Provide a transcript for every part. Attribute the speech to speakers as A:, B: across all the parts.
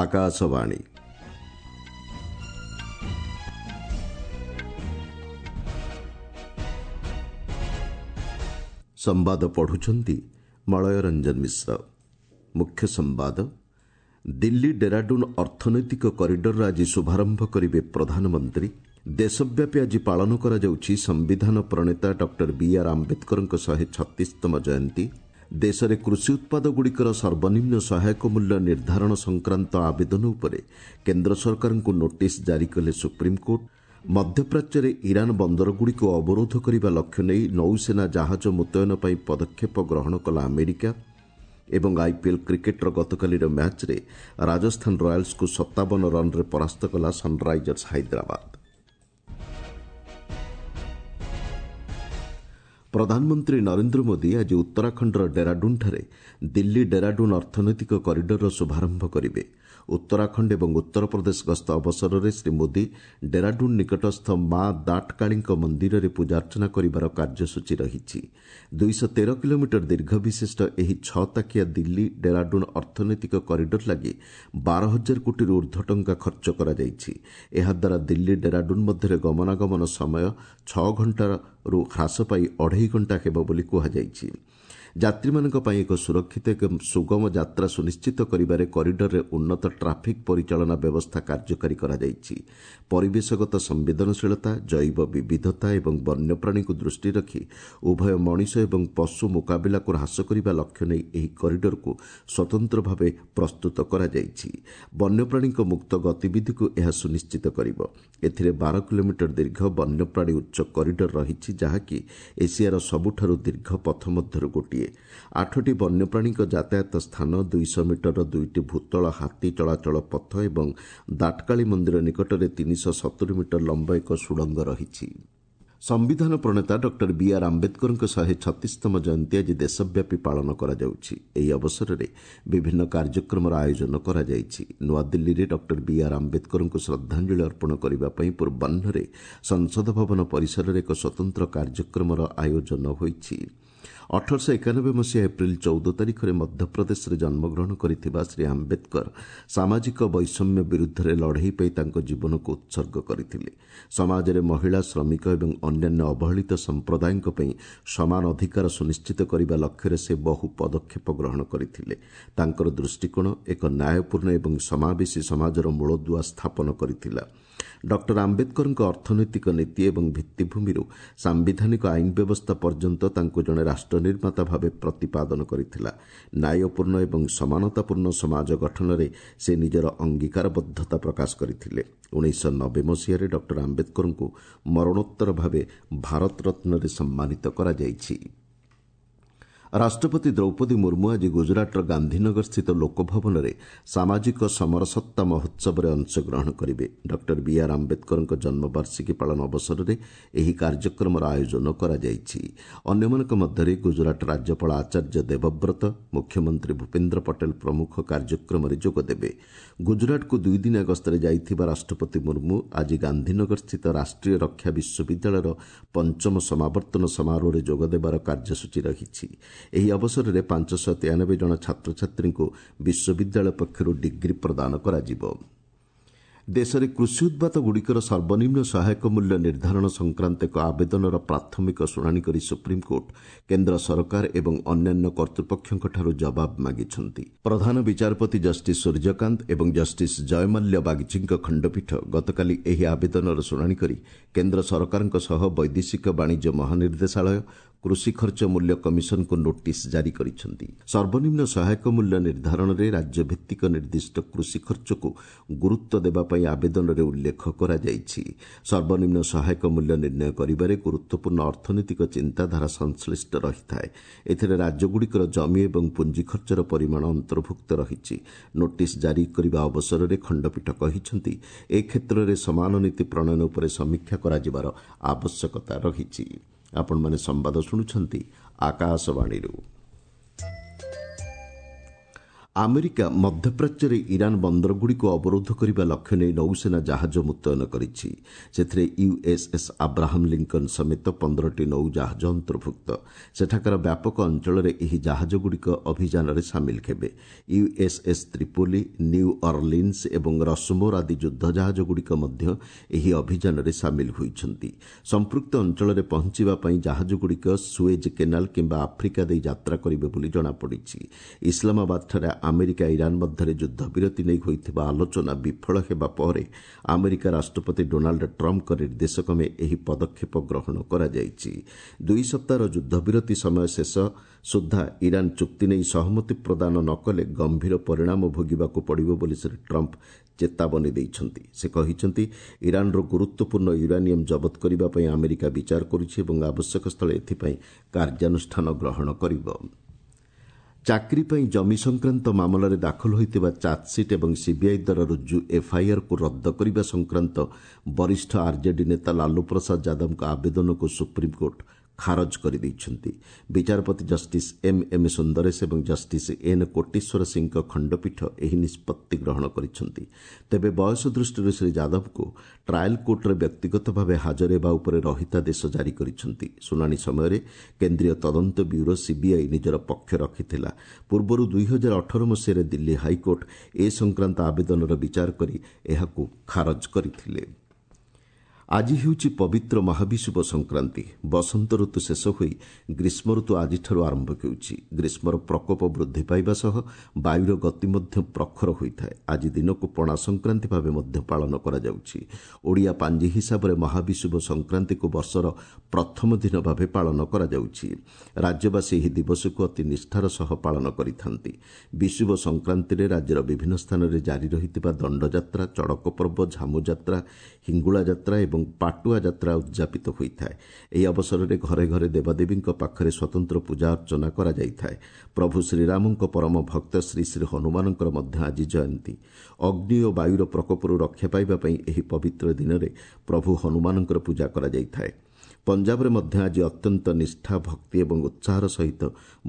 A: ଆକାଶବାଣୀ। ସମ୍ବାଦ ପଢୁଛନ୍ତି ମଳୟ ରଞ୍ଜନ ମିଶ୍ର। ମୁଖ୍ୟ ସମ୍ବାଦ। ଦିଲ୍ଲୀ ଡେରାଡୁନ୍ ଅର୍ଥନୈତିକ କରିଡରର ଆଜି ଶୁଭାରମ୍ଭ କରିବେ ପ୍ରଧାନମନ୍ତ୍ରୀ। ଦେଶବ୍ୟାପୀ ଆଜି ପାଳନ କରାଯାଉଛି ସମ୍ବିଧାନ ପ୍ରଣେତା ଡକ୍ଟର ବି ଆର୍ ଆମ୍ବେଦକରଙ୍କ 136ତମ ଜୟନ୍ତୀ। ଦେଶରେ କୃଷି ଉତ୍ପାଦଗୁଡ଼ିକର ସର୍ବନିମ୍ନ ସହାୟକ ମୂଲ୍ୟ ନିର୍ଦ୍ଧାରଣ ସଂକ୍ରାନ୍ତ ଆବେଦନ ଉପରେ କେନ୍ଦ୍ର ସରକାରଙ୍କୁ ନୋଟିସ୍ ଜାରି କଲେ ସୁପ୍ରିମକୋର୍ଟ। ମଧ୍ୟପ୍ରାଚ୍ୟରେ ଇରାନ୍ ବନ୍ଦରଗୁଡ଼ିକୁ ଅବରୋଧ କରିବା ଲକ୍ଷ୍ୟ ନେଇ ନୌସେନା ଜାହାଜ ମୁତୟନ ପାଇଁ ପଦକ୍ଷେପ ଗ୍ରହଣ କଲା ଆମେରିକା। ଏବଂ ଆଇପିଏଲ୍ କ୍ରିକେଟ୍ର ଗତକାଲିର ମ୍ୟାଚ୍ରେ ରାଜସ୍ଥାନ ରୟାଲ୍ସକୁ 57 ରନ୍ରେ ପରାସ୍ତ କଲା ସନ୍ରାଇଜର୍ସ ହାଇଦ୍ରାବାଦ। ପ୍ରଧାନମନ୍ତ୍ରୀ ନରେନ୍ଦ୍ର ମୋଦି ଆଜି ଉତ୍ତରାଖଣ୍ଡର ଡେରାଡୁନ୍ଠାରେ ଦିଲ୍ଲୀ ଡେରାଡୁନ୍ ଅର୍ଥନୈତିକ କରିଡରର ଶୁଭାରମ୍ଭ କରିବେ। ଉତ୍ତରାଖଣ୍ଡ ଏବଂ ଉତ୍ତରପ୍ରଦେଶ ଗସ୍ତ ଅବସରରେ ଶ୍ରୀ ମୋଦି ଡେରାଡୁନ୍ ନିକଟସ୍ଥ ମା ଦାଟକାଳୀଙ୍କ ମନ୍ଦିରରେ ପୂଜାର୍ଚ୍ଚନା କରିବାର କାର୍ଯ୍ୟସୂଚୀ ରହିଛି। 213 କିଲୋମିଟର ଦୀର୍ଘ ବିଶିଷ୍ଟ ଏହି ଛଅ ତାକିଆ ଦିଲ୍ଲୀ ଡେରାଡୁନ୍ ଅର୍ଥନୈତିକ କରିଡର ଲାଗି 12 ହଜାର କୋଟିରୁ ଉର୍ଦ୍ଧ୍ୱ ଟଙ୍କା ଖର୍ଚ୍ଚ କରାଯାଇଛି। ଏହାଦ୍ୱାରା ଦିଲ୍ଲୀ ଡେରାଡୁନ୍ ମଧ୍ୟରେ ଗମନାଗମନ ସମୟ 6 ଘଣ୍ଟାରୁ ହ୍ରାସ ପାଇ ଅଢ଼େଇ ଘଣ୍ଟା ହେବ ବୋଲି କୁହାଯାଇଛି। ଯାତ୍ରୀମାନଙ୍କ ପାଇଁ ଏକ ସୁରକ୍ଷିତ ଏବଂ ସୁଗମ ଯାତ୍ରା ସୁନିଶ୍ଚିତ କରିବାରେ କରିଡରରେ ଉନ୍ନତ ଟ୍ରାଫିକ୍ ପରିଚାଳନା ବ୍ୟବସ୍ଥା କାର୍ଯ୍ୟକାରୀ କରାଯାଇଛି। ପରିବେଶଗତ ସମ୍ବେଦନଶୀଳତା, ଜୈବ ବିବିଧତା ଏବଂ ବନ୍ୟପ୍ରାଣୀଙ୍କୁ ଦୃଷ୍ଟିରେ ରଖି ଉଭୟ ମଣିଷ ଏବଂ ପଶୁ ମୁକାବିଲାକୁ ହ୍ରାସ କରିବା ଲକ୍ଷ୍ୟ ନେଇ ଏହି କରିଡରକୁ ସ୍ୱତନ୍ତ୍ର ଭାବେ ପ୍ରସ୍ତୁତ କରାଯାଇଛି। ବନ୍ୟପ୍ରାଣୀଙ୍କ ମୁକ୍ତ ଗତିବିଧିକୁ ଏହା ସୁନିଶ୍ଚିତ କରିବ। ଏଥିରେ 12 କିଲୋମିଟର ଦୀର୍ଘ ବନ୍ୟପ୍ରାଣୀ ଉଚ୍ଚ କରିଡର ରହିଛି, ଯାହାକି ଏସିଆର ସବୁଠାରୁ ଦୀର୍ଘ ପଥ ମଧ୍ୟରୁ ଗୋଟିଏ। ଆଠଟି ବନ୍ୟପ୍ରାଣୀଙ୍କ ଯାତାୟାତ ସ୍ଥାନ, 200 ମିଟରର ଦୁଇଟି ଭୂତଳ ହାତୀ ଚଳାଚଳ ପଥ ଏବଂ ଦାଟକାଳୀ ମନ୍ଦିର ନିକଟରେ 370 ମିଟର ଲମ୍ବ ଏକ ସୁଡ଼ଙ୍ଗ ରହିଛି। ସମ୍ବିଧାନ ପ୍ରଣେତା ଡକ୍ଟର ବି ଆର୍ ଆମ୍ବେଦକରଙ୍କ 136ତମ ଜୟନ୍ତୀ ଆଜି ଦେଶବ୍ୟାପୀ ପାଳନ କରାଯାଉଛି। ଏହି ଅବସରରେ ବିଭିନ୍ନ କାର୍ଯ୍ୟକ୍ରମର ଆୟୋଜନ କରାଯାଇଛି। ନୂଆଦିଲ୍ଲୀରେ ଡକ୍ଟର ବି ଆର୍ ଆମ୍ବେଦକରଙ୍କୁ ଶ୍ରଦ୍ଧାଞ୍ଜଳି ଅର୍ପଣ କରିବା ପାଇଁ ପୂର୍ବାହ୍ନରେ ସଂସଦ ଭବନ ପରିସରରେ ଏକ ସ୍ୱତନ୍ତ୍ର କାର୍ଯ୍ୟକ୍ରମର ଆୟୋଜନ ହୋଇଛି। 1891 ମସିହା ଏପ୍ରିଲ 14 ତାରିଖରେ ମଧ୍ୟପ୍ରଦେଶରେ ଜନ୍ମଗ୍ରହଣ କରିଥିବା ଶ୍ରୀ ଆମ୍ବେଦକର ସାମାଜିକ ବୈଷମ୍ୟ ବିରୁଦ୍ଧରେ ଲଢ଼େଇ ପାଇଁ ତାଙ୍କ ଜୀବନକୁ ଉତ୍ସର୍ଗ କରିଥିଲେ। ସମାଜରେ ମହିଳା, ଶ୍ରମିକ ଏବଂ ଅନ୍ୟାନ୍ୟ ଅବହେଳିତ ସମ୍ପ୍ରଦାୟଙ୍କ ପାଇଁ ସମାନ ଅଧିକାର ସୁନିଶ୍ଚିତ କରିବା ଲକ୍ଷ୍ୟରେ ସେ ବହୁ ପଦକ୍ଷେପ ଗ୍ରହଣ କରିଥିଲେ। ତାଙ୍କର ଦୃଷ୍ଟିକୋଣ ଏକ ନ୍ୟାୟପୂର୍ଣ୍ଣ ଏବଂ ସମାବେଶୀ ସମାଜର ମୂଳଦୁଆ ସ୍ଥାପନ କରିଥିଲା। ଡକ୍ଟର ଆମ୍ବେଦକରଙ୍କ ଅର୍ଥନୈତିକ ନୀତି ଏବଂ ଭିତ୍ତିଭୂମିରୁ ସାମ୍ବିଧାନିକ ଆଇନ ବ୍ୟବସ୍ଥା ପର୍ଯ୍ୟନ୍ତ ତାଙ୍କୁ ଜଣେ ରାଷ୍ଟ୍ର ନିର୍ମାତା ଭାବେ ପ୍ରତିପାଦନ କରିଥିଲା। ନ୍ୟାୟପୂର୍ଣ୍ଣ ଏବଂ ସମାନତାପୂର୍ଣ୍ଣ ସମାଜ ଗଠନରେ ସେ ନିଜର ଅଙ୍ଗୀକାରବଦ୍ଧତା ପ୍ରକାଶ କରିଥିଲେ। 1990 ମସିହାରେ ଡକ୍ଟର ଆମ୍ବେଦକରଙ୍କୁ ମରଣୋତ୍ତର ଭାବେ ଭାରତରତ୍ନରେ ସମ୍ମାନିତ କରାଯାଇଛି। ରାଷ୍ଟ୍ରପତି ଦ୍ରୌପଦୀ ମୁର୍ମୁ ଆଜି ଗୁଜରାଟର ଗାନ୍ଧୀନଗରସ୍ଥିତ ଲୋକଭବନରେ ସାମାଜିକ ସମରସତା ମହୋତ୍ସବରେ ଅଂଶଗ୍ରହଣ କରିବେ। ଡକ୍ଟର ବି ଆର୍ ଆମ୍ବେଦକରଙ୍କ ଜନ୍ମବାର୍ଷିକୀ ପାଳନ ଅବସରରେ ଏହି କାର୍ଯ୍ୟକ୍ରମର ଆୟୋଜନ କରାଯାଇଛି। ଅନ୍ୟମାନଙ୍କ ମଧ୍ୟରେ ଗୁଜରାଟ ରାଜ୍ୟପାଳ ଆଚାର୍ଯ୍ୟ ଦେବବ୍ରତ, ମୁଖ୍ୟମନ୍ତ୍ରୀ ଭୂପେନ୍ଦ୍ର ପଟେଲ ପ୍ରମୁଖ କାର୍ଯ୍ୟକ୍ରମରେ ଯୋଗଦେବେ। ଗୁଜରାଟକୁ ଦୁଇଦିନିଆ ଗସ୍ତରେ ଯାଇଥିବା ରାଷ୍ଟ୍ରପତି ମୁର୍ମୁ ଆଜି ଗାନ୍ଧୀନଗରସ୍ଥିତ ରାଷ୍ଟ୍ରୀୟ ରକ୍ଷା ବିଶ୍ୱବିଦ୍ୟାଳୟର ପଞ୍ଚମ ସମାବର୍ତ୍ତନ ସମାରୋହରେ ଯୋଗଦେବାର କାର୍ଯ୍ୟସୂଚୀ ରହିଛି। ଏହି ଅବସରରେ 593 ଜଣ ଛାତ୍ରଛାତ୍ରୀଙ୍କୁ ବିଶ୍ୱବିଦ୍ୟାଳୟ ପକ୍ଷରୁ ଡିଗ୍ରୀ ପ୍ରଦାନ କରାଯିବ। ଦେଶରେ କୃଷି ଉତ୍ପାଦଗୁଡ଼ିକର ସର୍ବନିମ୍ନ ସହାୟକ ମୂଲ୍ୟ ନିର୍ଦ୍ଧାରଣ ସଂକ୍ରାନ୍ତ ଏକ ଆବେଦନର ପ୍ରାଥମିକ ଶୁଣାଣି କରି ସୁପ୍ରିମକୋର୍ଟ କେନ୍ଦ୍ର ସରକାର ଏବଂ ଅନ୍ୟାନ୍ୟ କର୍ତ୍ତୃପକ୍ଷଙ୍କଠାରୁ ଜବାବ ମାଗିଛନ୍ତି। ପ୍ରଧାନ ବିଚାରପତି ଜଷ୍ଟିସ୍ ସୂର୍ଯ୍ୟକାନ୍ତ ଏବଂ ଜଷ୍ଟିସ୍ ଜୟମାଲ୍ୟ ବାଗଚୀଙ୍କ ଖଣ୍ଡପୀଠ ଗତକାଲି ଏହି ଆବେଦନର ଶୁଣାଣି କରି କେନ୍ଦ୍ର ସରକାରଙ୍କ ସହ ବୈଦେଶିକ ବାଣିଜ୍ୟ ମହାନିର୍ଦ୍ଦେଶାଳୟ, କୃଷି ଖର୍ଚ୍ଚ ମୂଲ୍ୟ କମିଶନକୁ ନୋଟିସ୍ ଜାରି କରିଛନ୍ତି। ସର୍ବନିମ୍ନ ସହାୟକ ମୂଲ୍ୟ ନିର୍ଦ୍ଧାରଣରେ ରାଜ୍ୟଭିତ୍ତିକ ନିର୍ଦ୍ଦିଷ୍ଟ କୃଷି ଖର୍ଚ୍ଚକୁ ଗୁରୁତ୍ୱ ଦେବା ପାଇଁ ଆବେଦନରେ ଉଲ୍ଲେଖ କରାଯାଇଛି। ସର୍ବନିମ୍ନ ସହାୟକ ମୂଲ୍ୟ ନିର୍ଣ୍ଣୟ କରିବାରେ ଗୁରୁତ୍ୱପୂର୍ଣ୍ଣ ଅର୍ଥନୈତିକ ଚିନ୍ତାଧାରା ସଂଶ୍ଳିଷ୍ଟ ରହିଥାଏ। ଏଥିରେ ରାଜ୍ୟଗୁଡ଼ିକର ଜମି ଏବଂ ପୁଞ୍ଜି ଖର୍ଚ୍ଚର ପରିମାଣ ଅନ୍ତର୍ଭୁକ୍ତ ରହିଛି। ନୋଟିସ୍ ଜାରି କରିବା ଅବସରରେ ଖଣ୍ଡପୀଠ କହିଛନ୍ତି, ଏ କ୍ଷେତ୍ରରେ ସମାନ ନୀତି ପ୍ରଣୟନ ଉପରେ ସମୀକ୍ଷା କରାଯିବାର ଆବଶ୍ୟକତା ରହିଛି। ଆପଣମାନେ ସମ୍ବାଦ ଶୁଣୁଛନ୍ତି ଆକାଶବାଣୀରୁ। ଆମେରିକା ମଧ୍ୟପ୍ରାଚ୍ୟରେ ଇରାନ୍ ବନ୍ଦରଗୁଡ଼ିକୁ ଅବରୋଧ କରିବା ଲକ୍ଷ୍ୟ ନେଇ ନୌସେନା ଜାହାଜ ମୁତୟନ କରିଛି। ସେଥିରେ ୟୁଏସ୍ଏସ୍ ଆବ୍ରାହମ୍ ଲିଙ୍କନ୍ ସମେତ 15ଟି ନୌଜାହାଜ ଅନ୍ତର୍ଭୁକ୍ତ। ସେଠାକାର ବ୍ୟାପକ ଅଞ୍ଚଳରେ ଏହି ଜାହାଜଗୁଡ଼ିକ ଅଭିଯାନରେ ସାମିଲ ହେବେ। ୟୁଏସ୍ଏସ୍ ତ୍ରିପୋଲି, ନ୍ୟୁ ଅର୍ଲିନ୍ସ ଏବଂ ରସମୋର ଆଦି ଯୁଦ୍ଧ ଜାହାଜଗୁଡ଼ିକ ମଧ୍ୟ ଏହି ଅଭିଯାନରେ ସାମିଲ ହୋଇଛନ୍ତି। ସମ୍ପୃକ୍ତ ଅଞ୍ଚଳରେ ପହଞ୍ଚିବା ପାଇଁ ଜାହାଜଗୁଡ଼ିକ ସୁଏଜ୍ କେନାଲ କିମ୍ବା ଆଫ୍ରିକା ଦେଇ ଯାତ୍ରା କରିବେ ବୋଲି ଜଣାପଡ଼ିଛି। ଇସଲାମାବାଦଠାରେ ଆମେରିକା ଇରାନ୍ ମଧ୍ୟରେ ଯୁଦ୍ଧବିରତି ନେଇ ହୋଇଥିବା ଆଲୋଚନା ବିଫଳ ହେବା ପରେ ଆମେରିକା ରାଷ୍ଟ୍ରପତି ଡୋନାଲ୍ଡ ଟ୍ରମ୍ପଙ୍କ ନିର୍ଦ୍ଦେଶକ୍ରମେ ଏହି ପଦକ୍ଷେପ ଗ୍ରହଣ କରାଯାଇଛି। 2 ସପ୍ତାହର ଯୁଦ୍ଧବିରତି ସମୟ ଶେଷ ସୁଦ୍ଧା ଇରାନ୍ ଚୁକ୍ତି ନେଇ ସହମତି ପ୍ରଦାନ ନ କଲେ ଗମ୍ଭୀର ପରିଣାମ ଭୋଗିବାକୁ ପଡ଼ିବ ବୋଲି ଶ୍ରୀ ଟ୍ରମ୍ପ ଚେତାବନୀ ଦେଇଛନ୍ତି। ସେ କହିଛନ୍ତି, ଇରାନ୍ର ଗୁରୁତ୍ୱପୂର୍ଣ୍ଣ ୟୁରାନିୟମ୍ ଜବତ କରିବା ପାଇଁ ଆମେରିକା ବିଚାର କରୁଛି ଏବଂ ଆବଶ୍ୟକ ସ୍ଥଳେ ଏଥିପାଇଁ କାର୍ଯ୍ୟାନୁଷ୍ଠାନ ଗ୍ରହଣ କରିବ। ଚାକିରି ପାଇଁ ଜମି ସଂକ୍ରାନ୍ତ ମାମଲାରେ ଦାଖଲ ହୋଇଥିବା ଚାର୍ଜସିଟ୍ ଏବଂ ସିବିଆଇ ଦ୍ୱାରା ରୁଜୁ ଏଫ୍ଆଇଆର୍କୁ ରଦ୍ଦ କରିବା ସଂକ୍ରାନ୍ତ ବରିଷ୍ଠ ଆର୍ଜେଡି ନେତା ଲାଲୁ ପ୍ରସାଦ ଯାଦବଙ୍କ ଆବେଦନକୁ ସୁପ୍ରିମକୋର୍ଟ ଖାରଜ କରିଦେଇଛନ୍ତି। ବିଚାରପତି ଜଷ୍ଟିସ୍ ଏମ୍ ଏମ୍ ସୁନ୍ଦରେଶ ଏବଂ ଜଷ୍ଟିସ୍ ଏନ୍ କୋଟେଶ୍ୱର ସିଂଙ୍କ ଖଣ୍ଡପୀଠ ଏହି ନିଷ୍ପତ୍ତି ଗ୍ରହଣ କରିଛନ୍ତି। ତେବେ ବୟସ ଦୃଷ୍ଟିରୁ ଶ୍ରୀ ଯାଦବଙ୍କୁ ଟ୍ରାଏଲ୍ କୋର୍ଟରେ ବ୍ୟକ୍ତିଗତ ଭାବେ ହାଜର ହେବା ଉପରେ ରହିତାଦେଶ ଜାରି କରିଛନ୍ତି। ଶୁଣାଣି ସମୟରେ କେନ୍ଦ୍ରୀୟ ତଦନ୍ତ ବ୍ୟୁରୋ ସିବିଆଇ ନିଜର ପକ୍ଷ ରଖିଥିଲା। ପୂର୍ବରୁ 2018 ମସିହାରେ ଦିଲ୍ଲୀ ହାଇକୋର୍ଟ ଏ ସଂକ୍ରାନ୍ତ ଆବେଦନର ବିଚାର କରି ଏହାକୁ ଖାରଜ କରିଥିଲେ। ଆଜି ହେଉଛି ପବିତ୍ର ମହାବିଷୁବ ସଂକ୍ରାନ୍ତି। ବସନ୍ତ ଋତୁ ଶେଷ ହୋଇ ଗ୍ରୀଷ୍ମ ଋତୁ ଆଜିଠାରୁ ଆରମ୍ଭ ହେଉଛି। ଗ୍ରୀଷ୍ମର ପ୍ରକୋପ ବୃଦ୍ଧି ପାଇବା ସହ ବାୟୁର ଗତି ମଧ୍ୟ ପ୍ରଖର ହୋଇଥାଏ। ଆଜି ଦିନକୁ ପଣା ସଂକ୍ରାନ୍ତି ଭାବେ ମଧ୍ୟ ପାଳନ କରାଯାଉଛି। ଓଡ଼ିଆ ପାଞ୍ଜି ହିସାବରେ ମହାବିଷୁବ ସଂକ୍ରାନ୍ତିକୁ ବର୍ଷର ପ୍ରଥମ ଦିନ ଭାବେ ପାଳନ କରାଯାଉଛି। ରାଜ୍ୟବାସୀ ଏହି ଦିବସକୁ ଅତି ନିଷ୍ଠାର ସହ ପାଳନ କରିଥାନ୍ତି। ବିଷୁବ ସଂକ୍ରାନ୍ତିରେ ରାଜ୍ୟର ବିଭିନ୍ନ ସ୍ଥାନରେ ଜାରି ରହିଥିବା ଦଣ୍ଡଯାତ୍ରା, ଚଡ଼କ ପର୍ବ, ଝାମୁଯାତ୍ରା, ହିଙ୍ଗୁଳା ଯାତ୍ରା ଏବଂ ପାଟୁଆ ଯାତ୍ରା ଉଦ୍ଯାପିତ ହୋଇଥାଏ। ଏହି ଅବସରରେ ଘରେ ଘରେ ଦେବାଦେବୀଙ୍କ ପାଖରେ ସ୍ୱତନ୍ତ୍ର ପୂଜା ଅର୍ଚ୍ଚନା କରାଯାଇଥାଏ। ପ୍ରଭୁ ଶ୍ରୀରାମଙ୍କ ପରମ ଭକ୍ତ ଶ୍ରୀ ଶ୍ରୀ ହନୁମାନଙ୍କର ମଧ୍ୟ ଆଜି ଜୟନ୍ତୀ। ଅଗ୍ନି ଓ ବାୟୁର ପ୍ରକୋପରୁ ରକ୍ଷା ପାଇବା ପାଇଁ ଏହି ପବିତ୍ର ଦିନରେ ପ୍ରଭୁ ହନୁମାନଙ୍କର ପୂଜା କରାଯାଇଥାଏ। ପଞ୍ଜାବରେ ମଧ୍ୟ ଆଜି ଅତ୍ୟନ୍ତ ନିଷ୍ଠା, ଭକ୍ତି ଏବଂ ଉତ୍ସାହର ସହିତ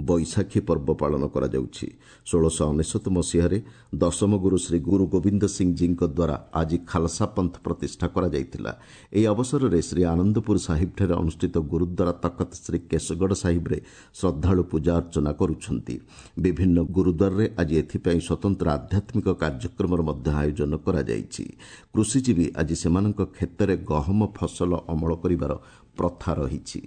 A: ବୈଶାଖୀ ପର୍ବ ପାଳନ କରାଯାଉଛି। 1699 ମସିହାରେ ଦଶମ ଗୁରୁ ଶ୍ରୀ ଗୁରୁ ଗୋବିନ୍ଦ ସିଂଜୀଙ୍କ ଦ୍ୱାରା ଆଜି ଖାଲସା ପନ୍ଥ ପ୍ରତିଷ୍ଠା କରାଯାଇଥିଲା। ଏହି ଅବସରରେ ଶ୍ରୀ ଆନନ୍ଦପୁର ସାହିବଠାରେ ଅନୁଷ୍ଠିତ ଗୁରୁଦ୍ୱାରା ତଖତ ଶ୍ରୀ କେଶଗଡ଼ ସାହିବରେ ଶ୍ରଦ୍ଧାଳୁ ପୂଜା ଅର୍ଚ୍ଚନା କରୁଛନ୍ତି। ବିଭିନ୍ନ ଗୁରୁଦ୍ୱାରରେ ଆଜି ଏଥିପାଇଁ ସ୍ୱତନ୍ତ୍ର ଆଧ୍ୟାତ୍ମିକ କାର୍ଯ୍ୟକ୍ରମର ମଧ୍ୟ ଆୟୋଜନ କରାଯାଇଛି। କୃଷିଜୀବୀ ଆଜି ସେମାନଙ୍କ କ୍ଷେତରେ ଗହମ ଫସଲ ଅମଳ କରିବାର ପ୍ରଥା ରହିଛି।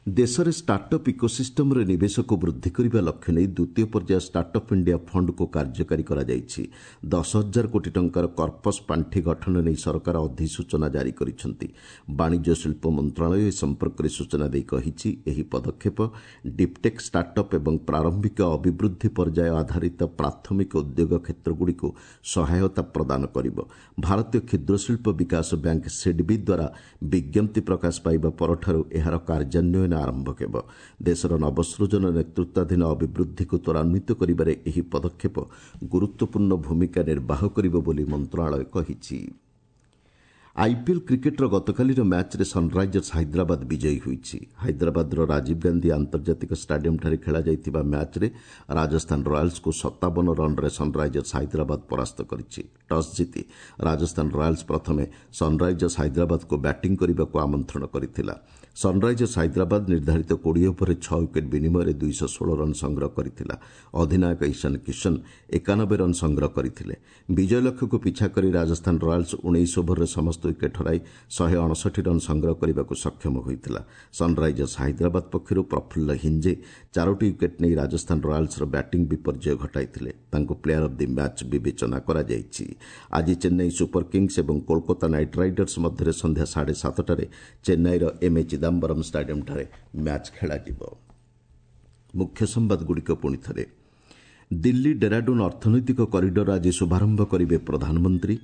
A: ଦେଶରେ ଷ୍ଟାର୍ଟଅପ୍ ଇକୋସିଷ୍ଟମ୍ରେ ନିବେଶକୁ ବୃଦ୍ଧି କରିବା ଲକ୍ଷ୍ୟ ନେଇ ଦ୍ୱିତୀୟ ପର୍ଯ୍ୟାୟ ଷ୍ଟାର୍ଟଅପ୍ ଇଣ୍ଡିଆ ଫଣ୍ଡକୁ କାର୍ଯ୍ୟକାରୀ କରାଯାଇଛି। 10,000 କୋଟି ଟଙ୍କାର କର୍ପସ୍ ପାଣ୍ଠି ଗଠନ ନେଇ ସରକାର ଅଧିସୂଚନା ଜାରି କରିଛନ୍ତି। ବାଣିଜ୍ୟ ଶିଳ୍ପ ମନ୍ତ୍ରଣାଳୟ ଏ ସମ୍ପର୍କରେ ସୂଚନା ଦେଇ କହିଛି, ଏହି ପଦକ୍ଷେପ ଡିପ୍ଟେକ୍ ଷ୍ଟାର୍ଟଅପ୍ ଏବଂ ପ୍ରାରମ୍ଭିକ ଅଭିବୃଦ୍ଧି ପର୍ଯ୍ୟାୟ ଆଧାରିତ ପ୍ରାଥମିକ ଉଦ୍ୟୋଗ କ୍ଷେତ୍ରଗୁଡ଼ିକୁ ସହାୟତା ପ୍ରଦାନ କରିବ। ଭାରତୀୟ କ୍ଷୁଦ୍ରଶିଳ୍ପ ବିକାଶ ବ୍ୟାଙ୍କ ସିଡ୍ବି ଦ୍ୱାରା ବିଜ୍ଞପ୍ତି ପ୍ରକାଶ ପାଇବା ପରଠାରୁ ଏହାର କାର୍ଯ୍ୟାନ୍ୱୟନ ଆରମ୍ଭ ହେବ। ଦେଶର ନବସୃଜନ ନେତୃତ୍ୱାଧୀନ ଅଭିବୃଦ୍ଧିକୁ ତ୍ୱରାନ୍ୱିତ କରିବାରେ ଏହି ପଦକ୍ଷେପ ଗୁରୁତ୍ୱପୂର୍ଣ୍ଣ ଭୂମିକା ନିର୍ବାହ କରିବ ବୋଲି ମନ୍ତ୍ରଣାଳୟ କହିଛି। ଆଇପିଏଲ୍ କ୍ରିକେଟ୍ର ଗତକାଲିର ମ୍ୟାଚ୍ରେ ସନ୍ରାଇଜର୍ସ ହାଇଦ୍ରାବାଦ ବିଜୟୀ ହୋଇଛି। ହାଇଦ୍ରାବାଦର ରାଜୀବ ଗାନ୍ଧୀ ଆନ୍ତର୍ଜାତିକ ଷ୍ଟାଡିୟମ୍ଠାରେ ଖେଳାଯାଇଥିବା ମ୍ୟାଚ୍ରେ ରାଜସ୍ଥାନ ରୟାଲ୍ସକୁ 57 ରନ୍ରେ ସନ୍ରାଇଜର୍ସ ହାଇଦ୍ରାବାଦ ପରାସ୍ତ କରିଛି। ଟସ୍ ଜିତି ରାଜସ୍ଥାନ ରୟାଲ୍ସ ପ୍ରଥମେ ସନ୍ରାଇଜର୍ସ ହାଇଦ୍ରାବାଦକୁ ବ୍ୟାଟିଂ କରିବାକୁ ଆମନ୍ତ୍ରଣ କରିଥିଲା। ସନ୍ରାଇଜର୍ସ ହାଇଦ୍ରାବାଦ ନିର୍ଦ୍ଧାରିତ 20 ଓଭରରେ 6 ୱିକେଟ୍ ବିନିମୟରେ 216 ରନ୍ ସଂଗ୍ରହ କରିଥିଲା। ଅଧିନାୟକ ଇଶାନ କିଶନ 91 ରନ୍ ସଂଗ୍ରହ କରିଥିଲେ। ବିଜୟ ଲକ୍ଷ୍ୟକୁ ପିଛା କରି ରାଜସ୍ଥାନ ରୟାଲ୍ସ 19 ଓଭରରେ ସମସ୍ତ ୱିକେଟ୍ ହରାଇ 159 ରନ୍ ସଂଗ୍ରହ କରିବାକୁ ସକ୍ଷମ ହୋଇଥିଲା। ସନ୍ରାଇଜର୍ସ ହାଇଦ୍ରାବାଦ ପକ୍ଷରୁ ପ୍ରଫୁଲ୍ଲ ହିଞ୍ଜେ 4ଟି ୱିକେଟ୍ ନେଇ ରାଜସ୍ଥାନ ରୟାଲ୍ସର ବ୍ୟାଟିଂ ବିପର୍ଯ୍ୟୟ ଘଟାଇଥିଲେ। ତାଙ୍କୁ ପ୍ଲେୟାର ଅଫ୍ the match ବିବେଚନା କରାଯାଇଛି। ଆଜି ଚେନ୍ନାଇ ସୁପର କିଙ୍ଗସ୍ ଏବଂ କୋଲକାତା ନାଇଟ୍ ରାଇଡର୍ସ ମଧ୍ୟରେ ସନ୍ଧ୍ୟା 7:30ଟାରେ ଚେନ୍ନାଇର ଏମ୍ ଏ ଚିଦାମ୍ବରମ୍ ଷ୍ଟାଡିୟମ୍ଠାରେ ମ୍ୟାଚ୍ ଖେଳାଯିବ। ମୁଖ୍ୟ ସମ୍ବାଦଗୁଡ଼ିକ ପୁଣି ଥରେ। ଦିଲ୍ଲୀ ଡେରାଡୁନ୍ ଅର୍ଥନୈତିକ କରିଡର ଆଜି ଶୁଭାରମ୍ଭ କରିବେ ପ୍ରଧାନମନ୍ତ୍ରୀ।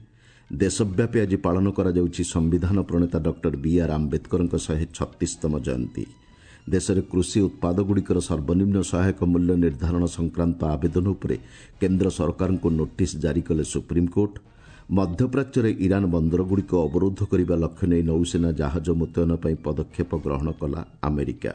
A: ଦେଶବ୍ୟାପୀ ଆଜି ପାଳନ କରାଯାଉଛି ସମ୍ବିଧାନ ପ୍ରଣେତା ଡକ୍ଟର ବି ଆର୍ ଆମ୍ବେଦକରଙ୍କ 136ତମ ଜୟନ୍ତୀ। ଦେଶରେ କୃଷି ଉତ୍ପାଦଗୁଡ଼ିକର ସର୍ବନିମ୍ନ ସହାୟକ ମୂଲ୍ୟ ନିର୍ଦ୍ଧାରଣ ସଂକ୍ରାନ୍ତ ଆବେଦନ ଉପରେ କେନ୍ଦ୍ର ସରକାରଙ୍କୁ ନୋଟିସ୍ ଜାରି କଲେ ସୁପ୍ରିମକୋର୍ଟ। ମଧ୍ୟପ୍ରାଚ୍ୟରେ ଇରାନ୍ ବନ୍ଦରଗୁଡ଼ିକୁ ଅବରୋଧ କରିବା ଲକ୍ଷ୍ୟ ନେଇ ନୌସେନା ଜାହାଜ ମୁତୟନ ପାଇଁ ପଦକ୍ଷେପ ଗ୍ରହଣ କଲା ଆମେରିକା।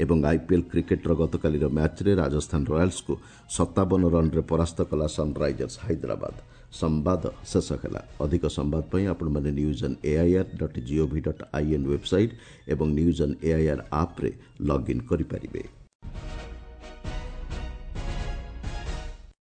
A: ଏବଂ ଆଇପିଏଲ୍ କ୍ରିକେଟ୍ର ଗତକାଲିର ମ୍ୟାଚ୍ରେ ରାଜସ୍ଥାନ ରୟାଲ୍ସକୁ 57 ରନ୍ରେ ପରାସ୍ତ କଲା ସନ୍ରାଇଜର୍ସ ହାଇଦ୍ରାବାଦ। ସମ୍ବାଦ ଶେଷ ହେଲା। ଅଧିକ ସମ୍ବାଦ ପାଇଁ ଆପଣମାନେ news on AIR dot gov dot in website ଏବଂ ନ୍ୟୁଜ୍ ଅନ୍ ଏଆଇଆର୍ ଆପ୍ରେ ଲଗ୍ଇନ୍ କରିପାରିବେ।